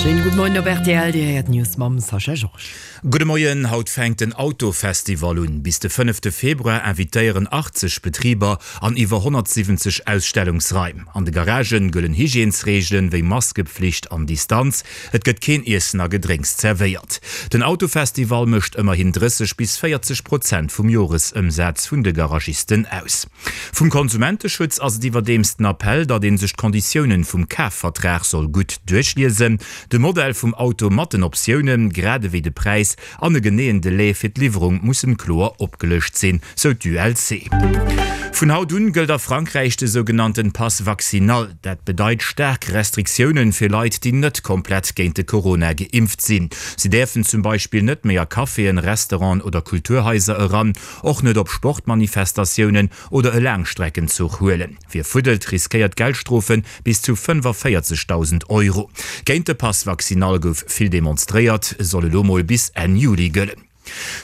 Schéinen gudde Moien op rtl, Dir héiert d'News mam Sascha Georges. Gudde Moien, Haut fänkt den Autofestival un. Bis de fënnefte Februar invitéieren 80 Betriber an iwwer 170 Ausstellungsraim. An de Garagen gëllen Hygiènesreegelen wéi Maskepflicht an Distanz. Et gëtt keen Iessen a Gedrénks zerwéiert. Den Autofestival mécht ëmmerhin 30 bis 40 Prozent vum Joresëmsaz vun de Garagisten aus. Vum Konsumenteschutz ass et iwwerdeems den Appell, datt ee sech d'Konditiounen vum Kafvertrag soll gutt duerchliesen. De Modell vum Auto mat den Optiounen, grad ewéi de Präis an e geneeën Delai fir d'Liwwerung mussen kloer opgelëscht sinn, sou d'ULC. Vun haut un gëllt a Frankräich de sougenannten Pass vaccinal. Dat bedeit staark Restriktiounen fir Leit, déi net komplett géint de Corona geimpft sinn. Si däerfen zum Beispill net méi a Caféen, Restauranten oder Kulturhaiser eran, och net op Sportmanifestatiounen oder e Laangstreckenzuch huelen. Wie fuddelt, riskéiert Geldstrofe bis zu 45.000 Euro. Géint de Pass vaccinal gouf vill demonstréiert, e soll elo mol bis Enn Juli gëllen.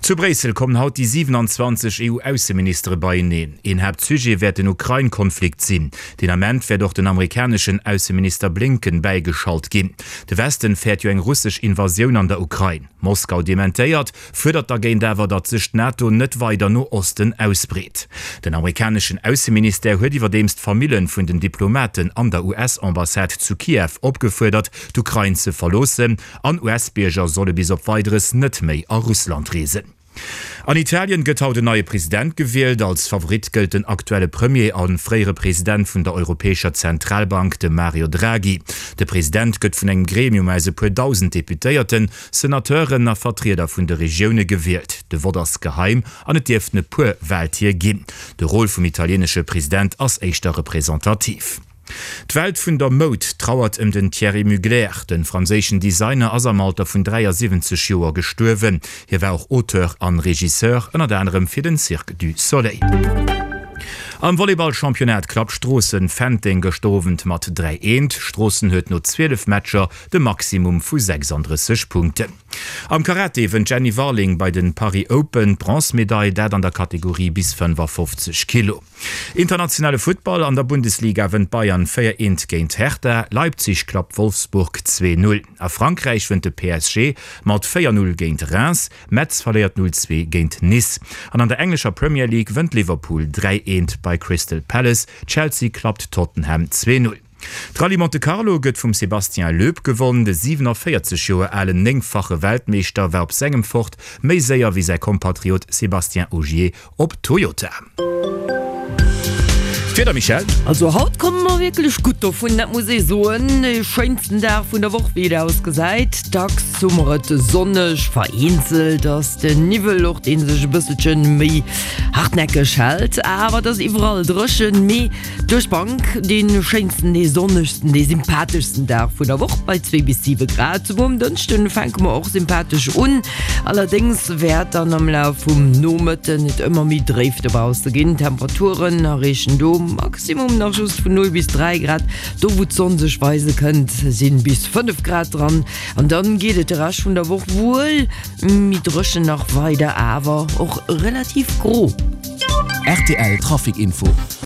Zu Bréissel kommen haut déi 27 EU-Ausseministere beieneen. Een Haaptsujet wäert den Ukrain-Konflikt sinn. Deen Ament wäert och den amerikaneschen Ausseminister Blinken bäigeschalt ginn. De Westen fäert jo eng russesch Invasioun an der Ukrain. Moskau dementéiert, fuerdert dergéint awer, datt sech d'NATO net weider no Osten ausbreet. Den amerikaneschen Ausseministère huet iwwerdeems d'Famillen vun den Diplomaten an der US-Ambassade zu Kiew opgefuerdert, d'Ukrain ze verloossen, an US-Bierger solle bis op Weideres net méi a Russland reesen. An Italien gëtt haut en neie President gewielt. Als Favorit gëllt den aktuelle Premier a fréiere President vun der Europäescher Zentralbank, de Mario Draghi. De President gëtt vun engem Gremium aus e puer 1.000 Deputéierten, Senateuren a Vertrieder vun de Regioune gewielt. De Vott ass geheim an et dierften e puer Waltier ginn. De Rôle vum italienesche President ass éischter representativ. D'Welt vun der Moud trauert ëm den Thierry Mugler. De franséischen Designer ass am Alter vun 73 Joer gestuerwen. Hie war och Auteur an Regisseur, ënnert anerem fir den Cirque du Soleil. Am Volleyball-Championnat klappt Stroossen Fenteng gëschter Owend mat 3, 1. Stroossen huet no 12 Matcher de Maximum vu 36 Punkten. Am Karate wënnt d'Jenny Warling bei den Paris Open d'Bronzemedail, dat an der Kategorie bis 55 Kilo. Internationale Futtball, An der Bundesliga wënnt Bayern 4, 1 géint Hertha, Leipzig klappt Wolfsburg 2, 0. A Frankräich wënnt de PSG mat 4, 0 géint Reims, Metz verléiert 0, 2 géint Nice. An an der englescher Premier League wënnt Liverpool 3, 1 bei Crystal Palace, Chelsea klappt Tottenham 2, 0. D'Rallye Monte Carlo gëtt vum Sébastien Loeb gewonn. De 47 Joer alen néngfache Weltmeeschter war op sengem Ford méi séier wéi säi Kompatriot Sébastien Ogier op Toyota. D'Wieder, Michèle? Also haut komme mer wierklech gutt dovun, dat muss ee soen. De schéinsten Dag vun der Woch, wéi et ausgesäit. Dacks hu mer et sonneg, vereenzelt ass den Niwwel och, dee sech e bësselche méi hartnäckeg hält, awer et ass iwwerall dréchen. Mee Duerch d'Bank dee schéinsten, dee sonnegsten, dee sympatheschsten Dag vun der Woch bei 2 bis 7 Grad. Souguer um Dënschden fänke mer och sympathesch un, allerdéngs wäert dann am Laf vum Nomëtten et ëmmer méi dréif dobausse ginn. D'Temperaturen erreechen do Maximum nach just vun 0 bis 3 Grad. Do wou d'Sonn sech weise kënnt, sinn bis 5 Grad dran. An dann geet et de Rescht vun der Woch wuel méi dréchen nach weider, awer och relativ gro. Rtl Trafic Info.